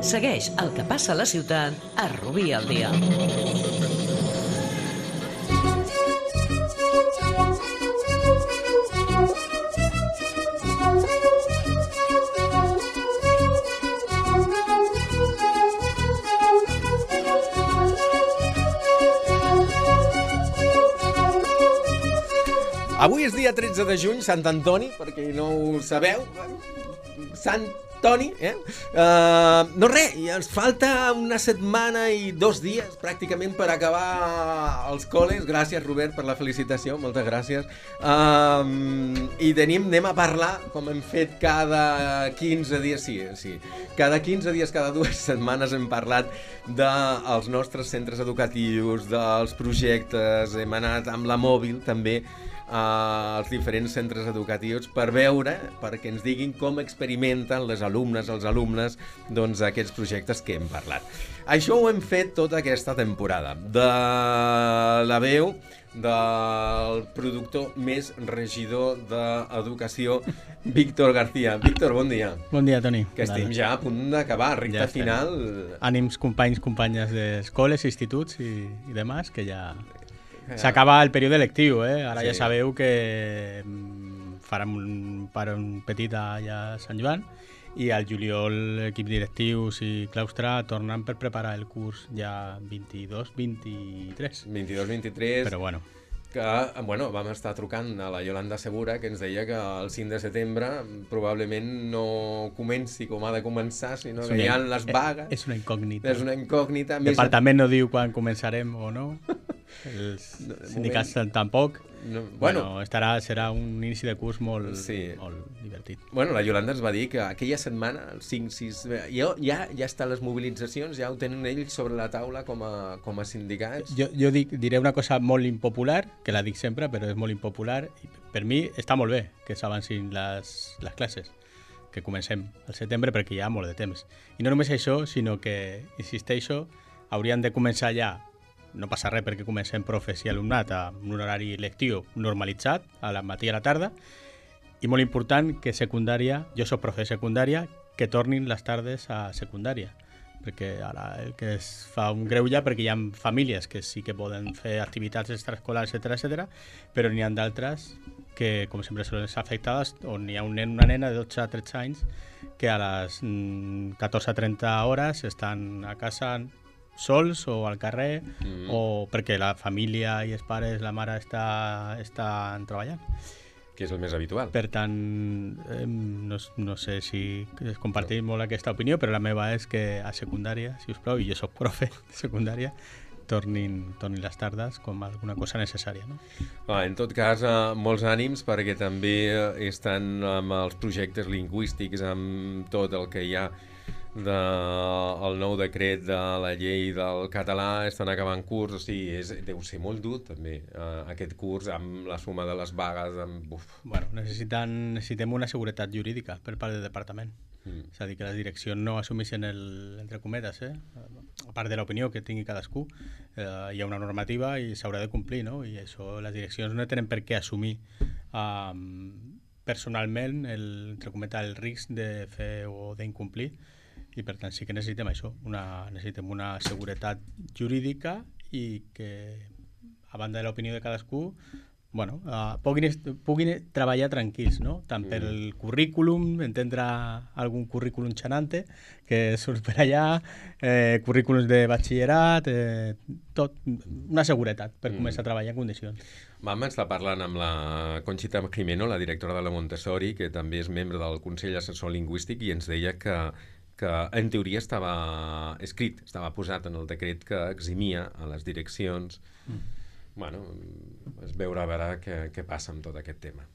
Segueix el que passa a la ciutat a Rubí al dia. Avui és dia 13 de juny, Sant Antoni, perquè no ho sabeu. Sant Toni, no res, i ens falta una setmana i 2 dies pràcticament per acabar els col·les. Gràcies, Robert, per la felicitació, moltes gràcies. I anem a parlar, com hem fet cada 15 dies, sí. Cada 15 dies, cada 2 setmanes hem parlat dels nostres centres educatius, dels projectes, hem anat amb la mòbil també als diferents centres educatius perquè ens diguin com experimenten les alumnes, els alumnes, doncs aquests projectes que hem parlat. Això ho hem fet tota aquesta temporada, de la veu del productor més regidor d'Educació, Víctor García. Víctor, bon dia. Bon dia, Toni. Que estem ja a punt d'acabar, recta final. Ànims, companys, companyes d'escoles, instituts i demás, que ja... S'acaba el període lectiu, Ara ja sabeu que farem un parón petit allà a Sant Joan i al juliol l'equip directius i claustre tornen per preparar el curs ja 22-23. 22-23. Però bueno. Vam estar trucant a la Yolanda Segura, que ens deia que el 5 de setembre probablement no comenci com ha de començar, sinó que hi ha les vagues. És una incògnita. És una incògnita. El departament no diu quan començarem o no. Els sindicats tampoc. Serà un inici de curs molt divertit. La Yolanda ens va dir que aquella setmana, el 5-6... Ja estan les mobilitzacions, ja ho tenen ells sobre la taula com a sindicats. Jo diré una cosa molt impopular, que la dic sempre, però és molt impopular. Per mi està molt bé que s'avancin les classes, que comencem al setembre, perquè hi ha molt de temps. I no només això, sinó que, insisteixo, haurien de començar ja. No passa res perquè comencem profes i alumnat amb un horari lectiu normalitzat, a la matí i a la tarda, i molt important que secundària, jo soc profe de secundària, que tornin les tardes a secundària, perquè ara el que es fa un greuge, perquè hi ha famílies que sí que poden fer activitats extraescolars, etc., però n'hi ha d'altres que, com sempre, són les afectades, on hi ha un nen, una nena de 12 a 13 anys que a les 14-30 hores estan a casa sols o al carrer, o perquè la família i els pares, la mare estan treballant. Que és el més habitual. Per tant, no sé si compartim molt aquesta opinió, però la meva és que a secundària, si us plau, i jo soc profe de secundària, tornin les tardes com alguna cosa necessària, no? En tot cas, molts ànims, perquè també estan amb els projectes lingüístics, amb tot el que hi ha del nou decret de la llei del català, estan acabant curs, o sigui, deu ser molt dur també aquest curs amb la suma de les vagues. Necessitem una seguretat jurídica per part del departament. És a dir, que les direccions no assumeixen entre cometes, a part de l'opinió que tingui cadascú, hi ha una normativa i s'haurà de complir, no? I això les direccions no tenen per què assumir personalment el risc de fer o d'incomplir. I per tant sí que necessitem això, necessitem una seguretat jurídica i que, a banda de l'opinió de cadascú, puguin treballar tranquils, no? Tant per el currículum, entendre algun currículum xanante que surt per allà, currículums de batxillerat, tot, una seguretat per començar a treballar en condicions. Vam estar parlant amb la Conxita Jimeno, la directora de la Montessori, que també és membre del Consell Assessor Lingüístic, i ens deia que en teoria estava escrit, estava posat en el decret que eximia a les direccions. Es veurà a veure què passa amb tot aquest tema.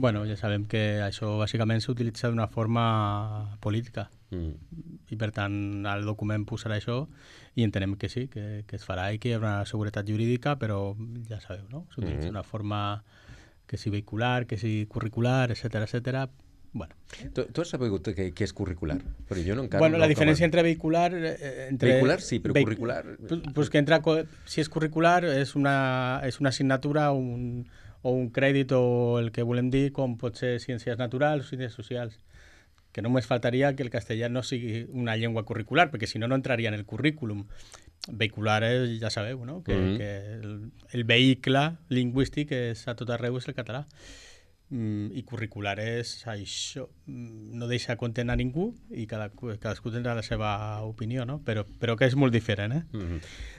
Ja sabem que això bàsicament s'utilitza d'una forma política i per tant el document posarà això i entenem que sí, que es farà i que hi haurà una seguretat jurídica, però ja sabeu, no? S'utilitza d'una forma que sigui vehicular, que sigui curricular, etcètera. Tu has sabut què és curricular? Però jo no encara la diferència entre vehicular... Vehicular sí, però curricular... Si és curricular és una assignatura o un crèdit o el que volem dir, com pot ser ciències naturals o ciències socials. que només faltaria que el castellà no sigui una llengua curricular, perquè si no, no entraria en el currículum. Vehicular és, ja sabeu, no? Que el vehicle lingüístic és a tot arreu és el català. I curricular és això, no deixa content a ningú i cadascú tindrà la seva opinió, no? Però que és molt diferent,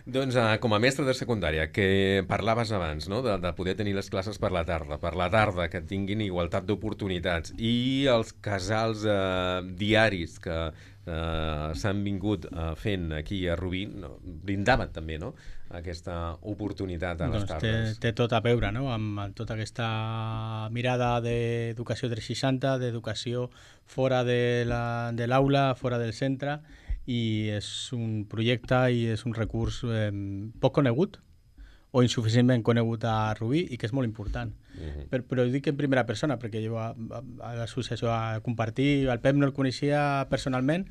Doncs com a mestre de secundària, que parlaves abans, no? de poder tenir les classes per la tarda que tinguin igualtat d'oportunitats, i els casals diaris que s'han vingut fent aquí a Rubí, brindaven també, no?, aquesta oportunitat a les tardes. Té tot a veure, no?, amb tota aquesta mirada d'educació 360, d'educació fora de l'aula, fora del centre, i és un projecte i és un recurs poc conegut o insuficientment conegut a Rubí i que és molt important. Però ho dic en primera persona, perquè jo a l'associació a compartir, el Pep no el coneixia personalment,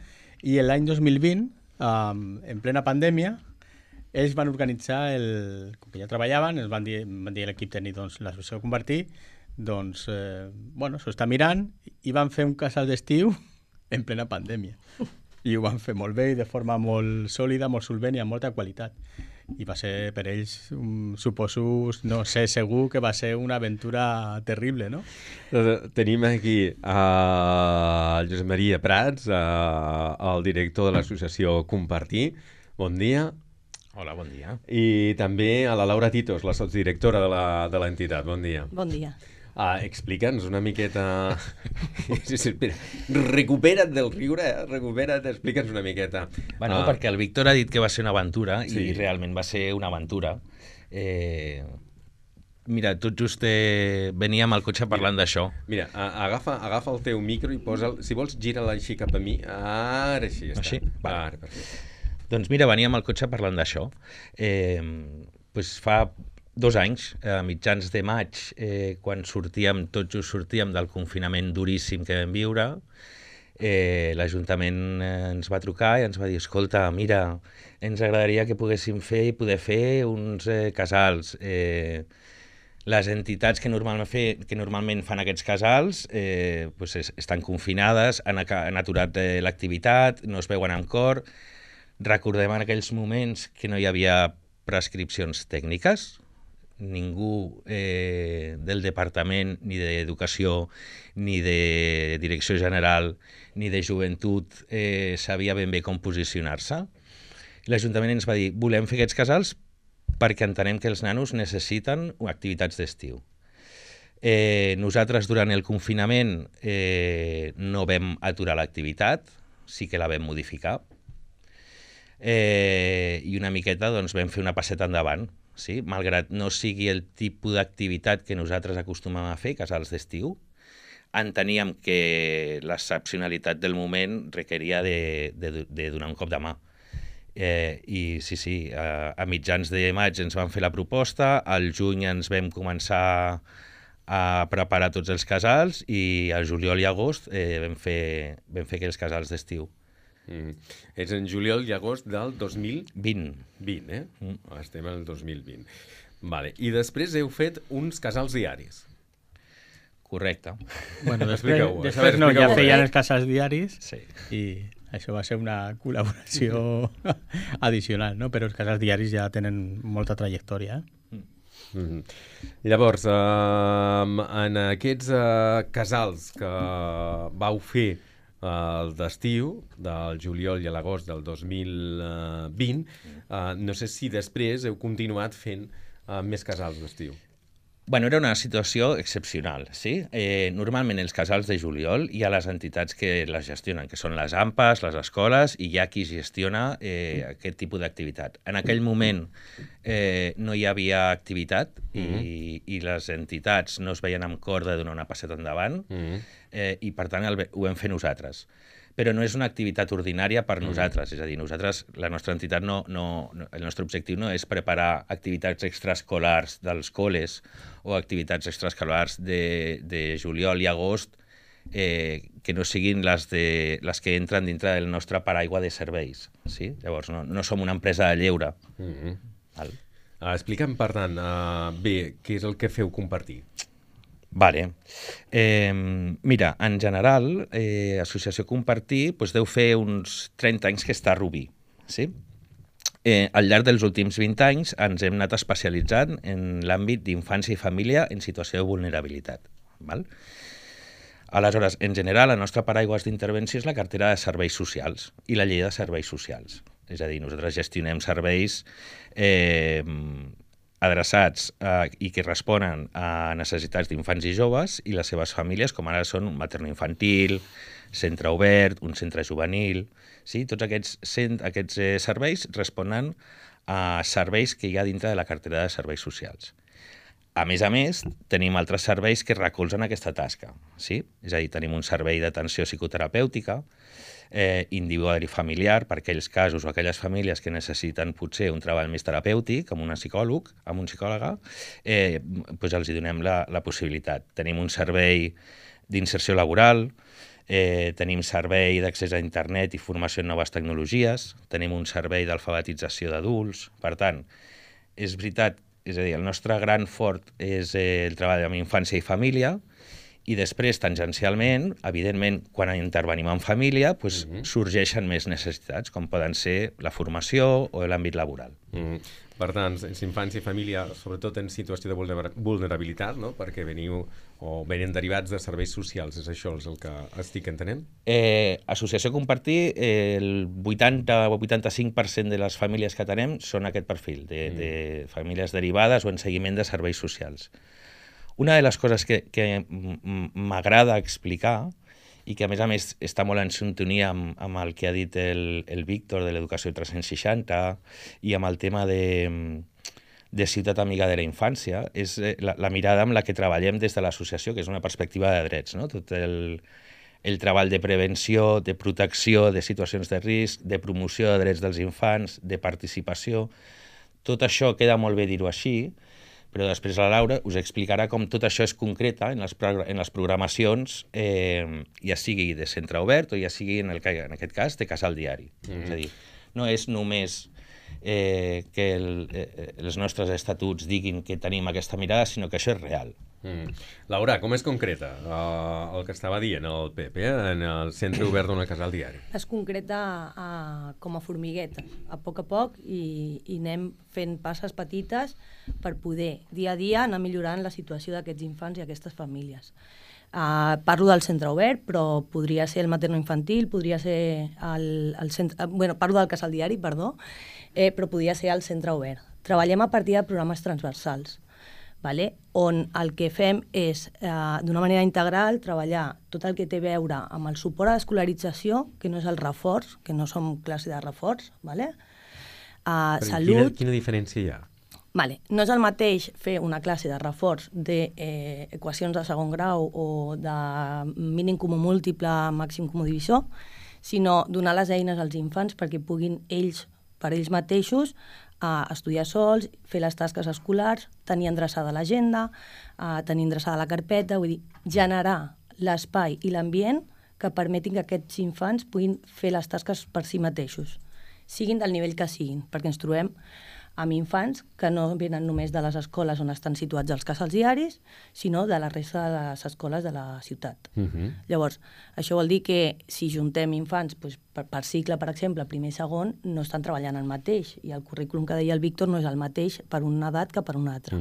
i l'any 2020, en plena pandèmia, ells van organitzar, com que ja treballaven, ens van dir a l'equip tècnic, doncs, l'associació a compartir, doncs, s'ho està mirant, i van fer un casal d'estiu en plena pandèmia. I ho van fer molt bé i de forma molt sòlida, molt solvent i amb molta qualitat. I va ser per ells, suposo, no sé, segur que va ser una aventura terrible, no? Tenim aquí el Josep Maria Prats, el director de l'associació Compartir. Bon dia. Hola, bon dia. I també a la Laura Titos, la sotsdirectora de l'entitat. Bon dia. Bon dia. Explica'ns una miqueta... Espera, recupera't del riure, recupera't, explica'ns una miqueta. Bueno, perquè el Víctor ha dit que va ser una aventura, i realment va ser una aventura. Mira, tot just veníem al cotxe parlant d'això. Mira, agafa el teu micro i posa'l, si vols, gira-la així cap a mi. Ara així, ja està. Així? Ara, perfecte. Doncs mira, veníem al cotxe parlant d'això. Fa 2 anys, a mitjans de maig, quan tot just sortíem del confinament duríssim que vam viure, l'Ajuntament ens va trucar i ens va dir: escolta, mira, ens agradaria que poguéssim poder fer uns casals. Les entitats que normalment fan aquests casals estan confinades, han aturat l'activitat, no es veuen amb cor. Recordem en aquells moments que no hi havia prescripcions tècniques, ningú del departament, ni d'Educació, ni de Direcció General, ni de Joventut sabia ben bé com posicionar-se. L'Ajuntament ens va dir: volem fer aquests casals perquè entenem que els nanos necessiten activitats d'estiu. Nosaltres durant el confinament no vam aturar l'activitat, sí que la vam modificar, i una miqueta doncs, vam fer una passeta endavant. Sí? Malgrat no sigui el tipus d'activitat que nosaltres acostumem a fer, casals d'estiu, enteníem que l'excepcionalitat del moment requeria de donar un cop de mà. I sí, a mitjans de maig ens van fer la proposta, al juny ens vam començar a preparar tots els casals i al juliol i agost vam fer aquells casals d'estiu. És en juliol i agost del 2020. Estem al 2020. Vale. I després heu fet uns casals diaris. Correcte. Bueno, després no, ja feien els casals diaris, i això va ser una col·laboració addicional, no? Però els casals diaris ja tenen molta trajectòria. Llavors, en aquests casals que vau fer d'estiu, del juliol i a l'agost del 2020, no sé si després heu continuat fent més casals d'estiu. Bueno, era una situació excepcional, sí? Normalment els casals de juliol hi ha les entitats que les gestionen, que són les AMPAs, les escoles, i hi ha qui gestiona aquest tipus d'activitat. En aquell moment no hi havia activitat i les entitats no es veien amb cor de donar una passeta endavant, i per tant ho vam fer nosaltres. Però no és una activitat ordinària per nosaltres, és a dir, la nostra entitat el nostre objectiu no és preparar activitats extraescolars dels col·les o activitats extraescolars de juliol i agost que no siguin les que entren dintre del nostre paraigua de serveis. Sí? Llavors, no som una empresa de lleure. Explica'm, per tant, bé, què és el que feu Compartir? Vale. Mira, en general, Associació Compartir deu fer uns 30 anys que està a Rubí, sí? Al llarg dels últims 20 anys ens hem anat especialitzant en l'àmbit d'infància i família en situació de vulnerabilitat. Val? Aleshores, en general, la nostra paraigua d'intervenció és la cartera de serveis socials i la llei de serveis socials. És a dir, nosaltres gestionem serveis adreçats i que responen a necessitats d'infants i joves i les seves famílies, com ara són un materno-infantil, centre obert, un centre juvenil. Sí? Tots aquests serveis responen a serveis que hi ha dintre de la cartera de serveis socials. A més, tenim altres serveis que recolzen aquesta tasca. Sí? És a dir, tenim un servei d'atenció psicoterapèutica, individual i familiar, per aquells casos o aquelles famílies que necessiten potser un treball més terapèutic, amb un psicòloga, els hi donem la possibilitat. Tenim un servei d'inserció laboral, tenim servei d'accés a internet i formació en noves tecnologies, tenim un servei d'alfabetització d'adults. Per tant, és veritat, és a dir, el nostre gran fort és el treball amb infància i família, i després, tangencialment, evidentment, quan intervenim en família, sorgeixen més necessitats, com poden ser la formació o l'àmbit laboral. Per tant, infància i família, sobretot en situació de vulnerabilitat, no? Perquè venen derivats de serveis socials, és això el que estic entenent? Associació Compartir, el 80 o 85% de les famílies que atenem són aquest perfil, de famílies derivades o en seguiment de serveis socials. Una de les coses que m'agrada explicar i que, a més, està molt en sintonia amb el que ha dit el Víctor de l'Educació 360 i amb el tema de Ciutat Amiga de la Infància, és la mirada amb la que treballem des de l'associació, que és una perspectiva de drets, no? Tot el treball de prevenció, de protecció de situacions de risc, de promoció de drets dels infants, de participació. Tot això queda molt bé dir-ho així, però després la Laura us explicarà com tot això es concreta en les programacions, ja sigui de centre obert o ja sigui, en aquest cas, de casal diari. És a dir, no és només que els nostres estatuts diguin que tenim aquesta mirada, sinó que això és real. Laura, com es concreta el que estava dient el Pep en el centre obert d'un casal diari? Es concreta com a formigueta, a poc, i anem fent passes petites per poder, dia a dia, anar millorant la situació d'aquests infants i aquestes famílies. Parlo del centre obert, però podria ser el materno-infantil, podria ser el centre... parlo del casal diari, perdó, però podria ser el centre obert. Treballem a partir de programes transversals, on el que fem és, d'una manera integral, treballar tot el que té a veure amb el suport a l'escolarització, que no és el reforç, que no som classe de reforç, salut... Quina diferència hi ha? No és el mateix fer una classe de reforç d'equacions de segon grau o de mínim comú múltiple, màxim comú divisor, sinó donar les eines als infants perquè puguin ells, per ells mateixos, estudiar sols, fer les tasques escolars, tenir endreçada l'agenda, tenir endreçada la carpeta, vull dir, generar l'espai i l'ambient que permetin que aquests infants puguin fer les tasques per si mateixos, siguin del nivell que siguin, perquè ens trobem amb infants que no venen només de les escoles on estan situats els casals diaris, sinó de la resta de les escoles de la ciutat. Llavors, això vol dir que si juntem infants per cicle, per exemple, primer i segon, no estan treballant el mateix, i el currículum que deia el Víctor no és el mateix per una edat que per una altra.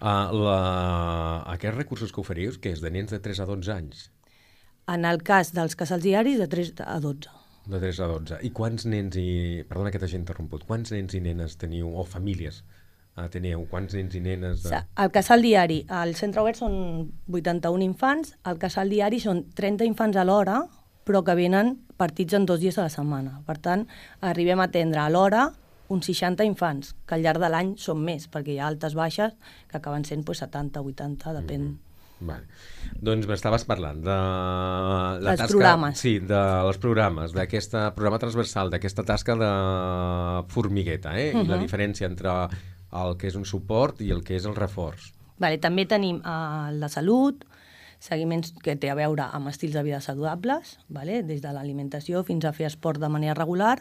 Aquests recursos que oferiu, que és de nens de 3 a 12 anys? En el cas dels casals diaris, de 3 a 12. De 3 a 12. I quants nens Perdona que t'hagi interromput. Quants nens i nenes teniu, o famílies teniu? Quants nens i nenes? Al casal diari, al centre obert són 81 infants, al casal diari són 30 infants a l'hora, però que venen partits en 2 dies a la setmana. Per tant, arribem a atendre a l'hora uns 60 infants, que al llarg de l'any són més, perquè hi ha altes baixes que acaben sent 70, 80, depèn. Vale. Doncs m'estaves parlant de la tasca... Programes. Sí, dels programes, d'aquest programa transversal, d'aquesta tasca de formigueta, i la diferència entre el que és un suport i el que és el reforç. També tenim la salut, seguiments que té a veure amb estils de vida saludables, des de l'alimentació fins a fer esport de manera regular,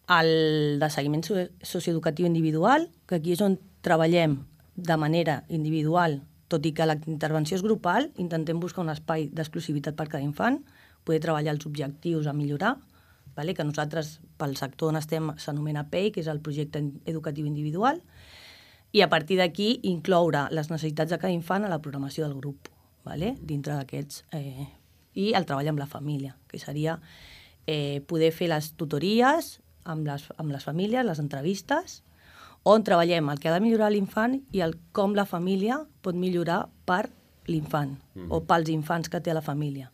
el de seguiment socioeducatiu individual, que aquí és on treballem de manera individual tot i que la intervenció és grupal, intentem buscar un espai d'exclusivitat per cada infant, poder treballar els objectius a millorar, vale? Que nosaltres, pel sector on estem, s'anomena PEI, que és el projecte educatiu individual, i a partir d'aquí incloure les necessitats de cada infant a la programació del grup, vale? Dintre d'aquests, i el treball amb la família, que seria poder fer les tutories amb les famílies, les entrevistes, on treballem el que ha de millorar l'infant i com la família pot millorar per l'infant o pels infants que té a la família.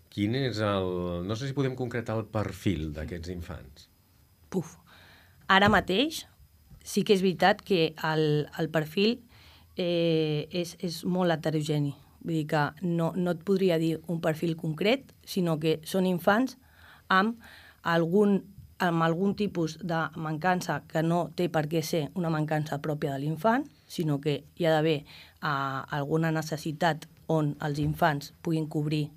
Quin és el... No sé si podem concretar el perfil d'aquests infants. Ara mateix sí que és veritat que el perfil és molt heterogeni. Vull dir que no et podria dir un perfil concret, sinó que són infants amb algun tipus de mancança que no té per què ser una mancança pròpia de l'infant, sinó que hi ha d'haver alguna necessitat on els infants puguin cobrir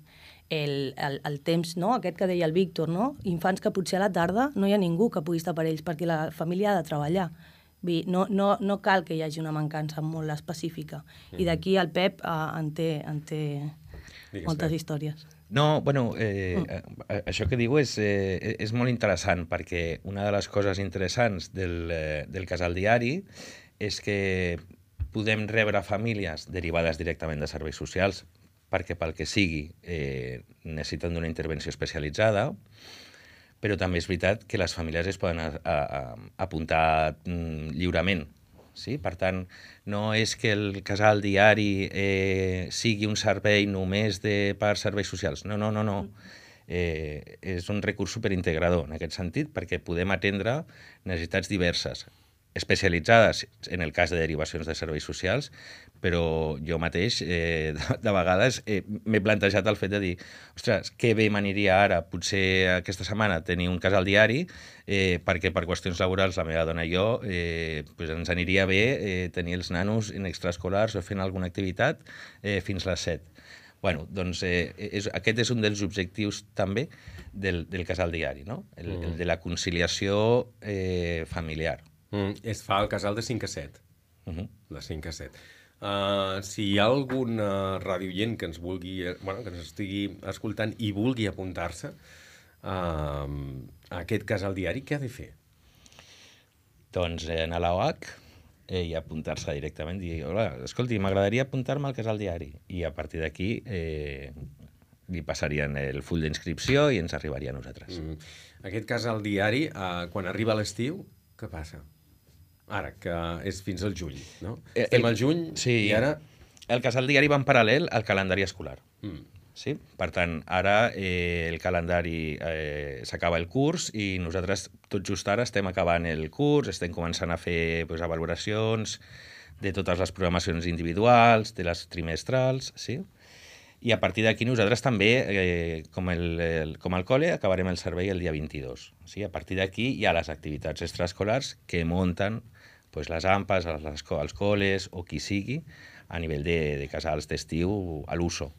el temps, no? Aquest que deia el Víctor, no? Infants que potser a la tarda no hi ha ningú que pugui estar per ells perquè la família ha de treballar. No cal que hi hagi una mancança molt específica. I d'aquí el Pep en té moltes històries. No, bueno, això que diu és molt interessant, perquè una de les coses interessants del casal diari és que podem rebre famílies derivades directament de serveis socials, perquè pel que sigui necessiten d'una intervenció especialitzada, però també és veritat que les famílies es poden apuntar lliurement. Sí? Per tant, no és que el casal diari sigui un servei només per serveis socials. No. És un recurs superintegrador en aquest sentit, perquè podem atendre necessitats diverses, especialitzades en el cas de derivacions de serveis socials, però jo mateix de vegades m'he plantejat el fet de dir ostres, que bé m'aniria ara, potser aquesta setmana tenir un casal diari, perquè per qüestions laborals la meva dona i jo ens aniria bé tenir els nanos en extraescolars o fent alguna activitat fins les 7. Bueno, doncs aquest és un dels objectius també del casal diari, no? El de la conciliació familiar. Es fa el casal de 5 a 7. De 5 a 7. Si hi ha algun radioient que ens vulgui, que ens estigui escoltant i vulgui apuntar-se a aquest casal diari, què ha de fer? Doncs anar a l'OH i apuntar-se directament, dir, hola, escolti, m'agradaria apuntar-me al casal diari. I a partir d'aquí li passarien el full d'inscripció i ens arribaria a nosaltres. Aquest casal diari, quan arriba l'estiu, què passa? Ara, que és fins al juny, no? Estem al juny i ara... El casal diari va en paral·lel al calendari escolar. Sí? Per tant, ara el calendari s'acaba el curs i nosaltres tot just ara estem acabant el curs, estem començant a fer valoracions de totes les programacions individuals, de les trimestrals, sí? I a partir d'aquí nosaltres també, com el col·le, acabarem el servei el dia 22. Sí? A partir d'aquí hi ha les activitats extraescolars que munten les AMPAs, els col·les o qui sigui, a nivell de casals d'estiu a l'uso.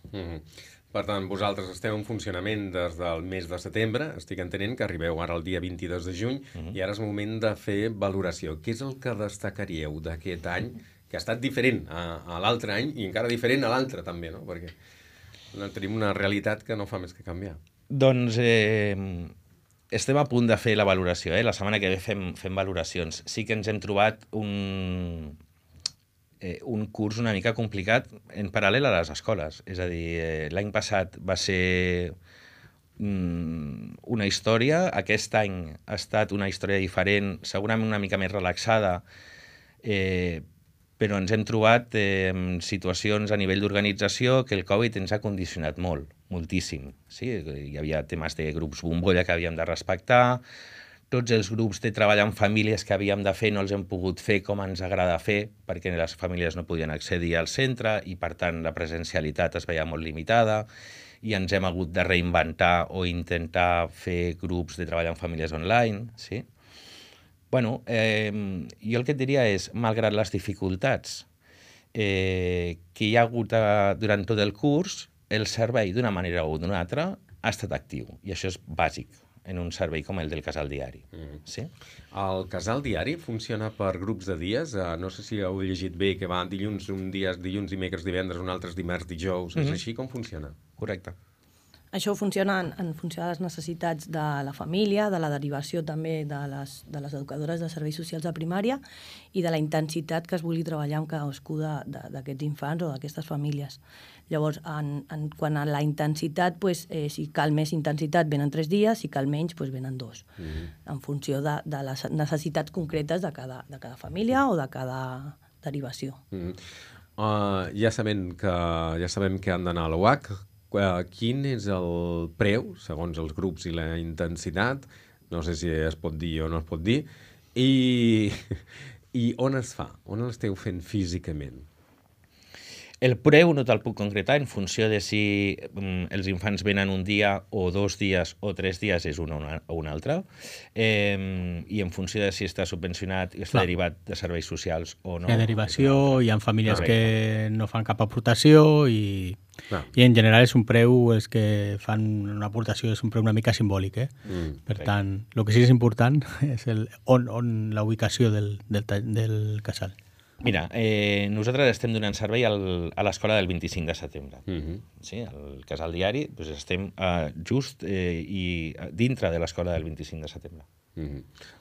Per tant, vosaltres esteu en funcionament des del mes de setembre, estic entenent que arribeu ara el dia 22 de juny, i ara és moment de fer valoració. Què és el que destacaríeu d'aquest any, que ha estat diferent a l'altre any i encara diferent a l'altre també, no? Perquè tenim una realitat que no fa més que canviar. Doncs estem a punt de fer la valoració. La setmana que ve fem valoracions. Sí que ens hem trobat un curs una mica complicat en paral·lel a les escoles. És a dir, l'any passat va ser una història, aquest any ha estat una història diferent, segurament una mica més relaxada, però ens hem trobat en situacions a nivell d'organització que el Covid ens ha condicionat moltíssim. Sí? Hi havia temes de grups bombolla que havíem de respectar, tots els grups de treball amb famílies que havíem de fer no els hem pogut fer com ens agrada fer, perquè les famílies no podien accedir al centre i, per tant, la presencialitat es veia molt limitada i ens hem hagut de reinventar o intentar fer grups de treball amb famílies online, sí? Bueno, jo el que et diria és, malgrat les dificultats que hi ha hagut durant tot el curs, el servei, d'una manera o d'una altra, ha estat actiu, i això és bàsic. en un servei com el del casal diari. Sí? El casal diari funciona per grups de dies. No sé si heu llegit bé que va dilluns un dia, dilluns, dimecres, divendres, un altre dimarts, dijous. És així com funciona? Correcte. Això funciona en funció de les necessitats de la família, de la derivació també de les educadores de serveis socials de primària i de la intensitat que es vulgui treballar amb cadascú d'aquests infants o d'aquestes famílies. Llavors, quant a la intensitat, si cal més intensitat venen 3 dies, si cal menys venen 2, en funció de les necessitats concretes de cada família o de cada derivació. Ja sabem que han d'anar a l'UAC. Quin és el preu, segons els grups i la intensitat? No sé si es pot dir o no es pot dir. I on es fa? On l'esteu fent físicament? El preu no te'l puc concretar en funció de si els infants venen un dia o 2 dies o 3 dies és un o un altre, i en funció de si està subvencionat i està derivat de serveis socials o no. Hi ha derivació, hi ha famílies que no fan cap aportació i en general és un preu, els que fan una aportació és un preu una mica simbòlic. Per tant, el que sí que és important és on la ubicació del casal. Mira, nosaltres estem donant servei a l'escola del 25 de setembre. Sí, al casal diari estem just dintre de l'escola del 25 de setembre.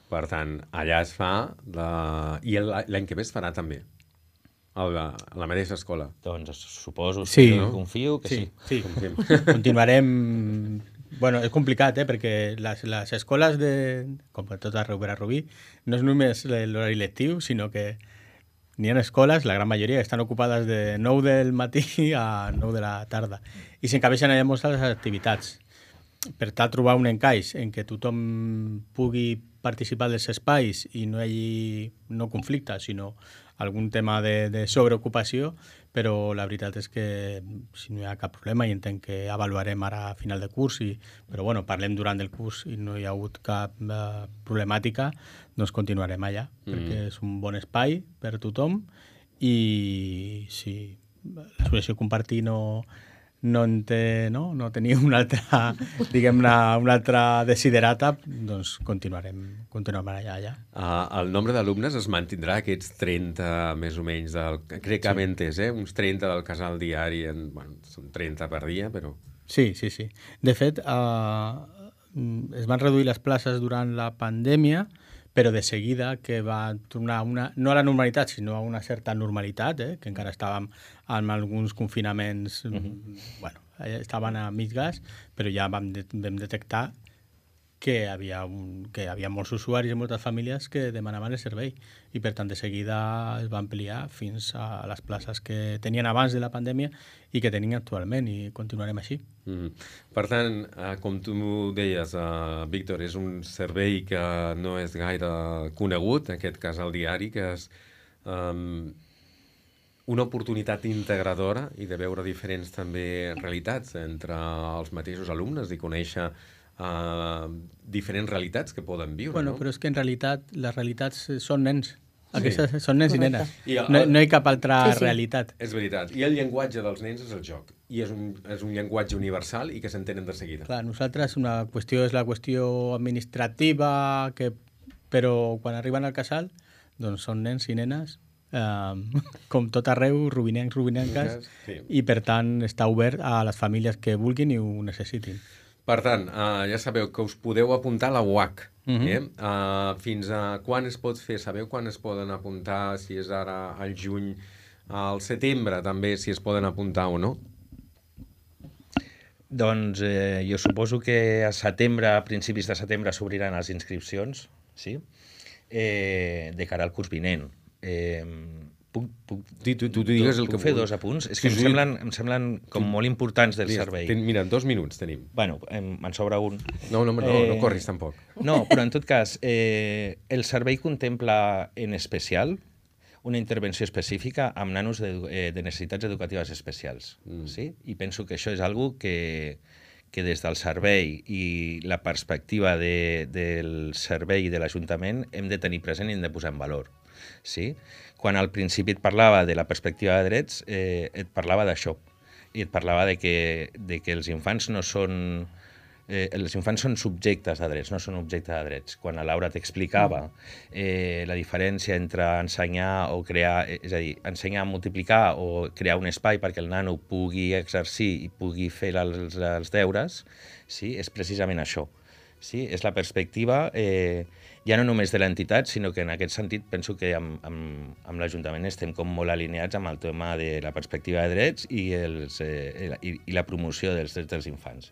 Per tant, allà es fa... I l'any que ve es farà també? A la mateixa escola? Doncs suposo, confio que sí. Sí. Continuarem... Bueno, és complicat, perquè les escoles, com tot arreu per a Rubí, no és només l'horari lectiu, sinó que n'hi ha escoles, la gran majoria, que estan ocupades de 9 del matí a 9 de la tarda. I s'encabeixen allà moltes les activitats. Per tal, trobar un encaix en què tothom pugui participar dels espais i no hi hagi no conflicte, sinó algun tema de sobreocupació, però la veritat és que si no hi ha cap problema, i entenc que avaluarem ara a final de curs, però bueno, parlem durant el curs i no hi ha hagut cap problemàtica, doncs continuarem allà, perquè és un bon espai per tothom i si l'associació Compartir no tenia una altra, diguem-ne, una altra desiderata, doncs continuarem allà. El nombre d'alumnes es mantindrà, aquests 30 més o menys, crec que m'he entès, uns 30 del casal diari, són 30 per dia, però... Sí. De fet, es van reduir les places durant la pandèmia, però de seguida que va tornar no a la normalitat, sinó a una certa normalitat, que encara estàvem amb alguns confinaments, estaven a mig gas, però ja vam detectar que hi havia molts usuaris i moltes famílies que demanaven el servei i per tant de seguida es va ampliar fins a les places que tenien abans de la pandèmia i que tenien actualment i continuarem així. Per tant, com tu deies, Víctor, és un servei que no és gaire conegut, en aquest cas el diari, que és una oportunitat integradora i de veure diferents també realitats entre els mateixos alumnes i conèixer diferents realitats que poden viure. Bueno, no? Però és que en realitat les realitats són nens. Aquestes són nens i nenes. No hi ha cap altra realitat. És veritat. I el llenguatge dels nens és el joc. I és un llenguatge universal i que s'entenen de seguida. Clar, nosaltres una qüestió és la qüestió administrativa, però quan arriben al casal doncs són nens i nenes com tot arreu, rubinencs, rubinenques, i per tant està obert a les famílies que vulguin i ho necessitin. Per tant, ja sabeu que us podeu apuntar a la UAC. Fins a quan es pot fer? Sabeu quan es poden apuntar? Si és ara al juny, al setembre també, si es poden apuntar o no? Doncs jo suposo que a setembre, a principis de setembre, s'obriran les inscripcions, sí? De cara al curs vinent. Puc fer 2 apunts? És que em semblen com molt importants del servei. Mira, 2 minuts tenim. Bueno, me'n sobra un. No corris tampoc. No, però en tot cas, el servei contempla en especial una intervenció específica amb nanos de necessitats educatives especials. Sí? I penso que això és algo que des del servei i la perspectiva del servei i de l'Ajuntament hem de tenir present i hem de posar en valor. Sí? Quan al principi et parlava de la perspectiva de drets, et parlava d'això. I et parlava de que els infants no són els infants són subjectes de drets, no són objectes de drets. Quan la Laura t'explicava la diferència entre ensenyar o crear, és a dir, ensenyar a multiplicar o crear un espai perquè el nano pugui exercir i pugui fer els deures, sí? És precisament això. Sí? És la perspectiva ja no només de l'entitat, sinó que en aquest sentit penso que amb l'Ajuntament estem com molt alineats amb el tema de la perspectiva de drets i la promoció dels drets dels infants.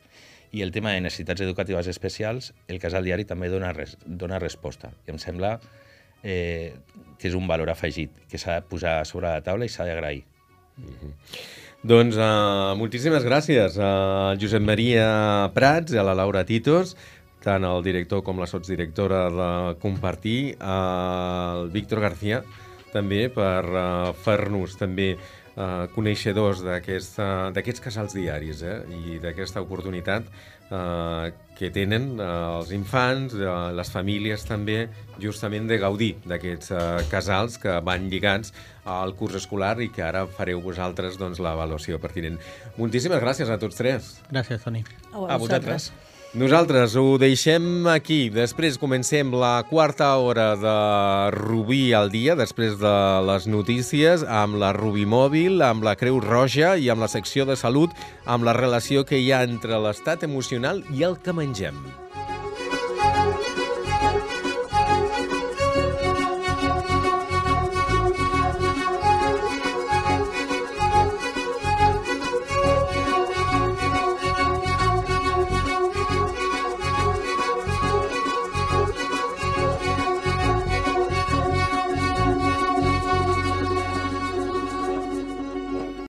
I el tema de necessitats educatives especials, el Casal Diari també dona resposta. I em sembla que és un valor afegit, que s'ha de posar sobre la taula i s'ha d'agrair. Doncs moltíssimes gràcies a Josep Maria Prats i a la Laura Titos, tant el director com la sotsdirectora de Compartir, al Víctor García, també per fer-nos també coneixedors d'aquests casals diaris i d'aquesta oportunitat que tenen els infants, les famílies també, justament de gaudir d'aquests casals que van lligats al curs escolar i que ara fareu vosaltres l'avaluació pertinent. Moltíssimes gràcies a tots tres. Gràcies, Toni. A vosaltres. Nosaltres ho deixem aquí. Després comencem la quarta hora de Rubí al dia, després de les notícies, amb la Rubí Mòbil, amb la Creu Roja i amb la secció de salut, amb la relació que hi ha entre l'estat emocional i el que mengem.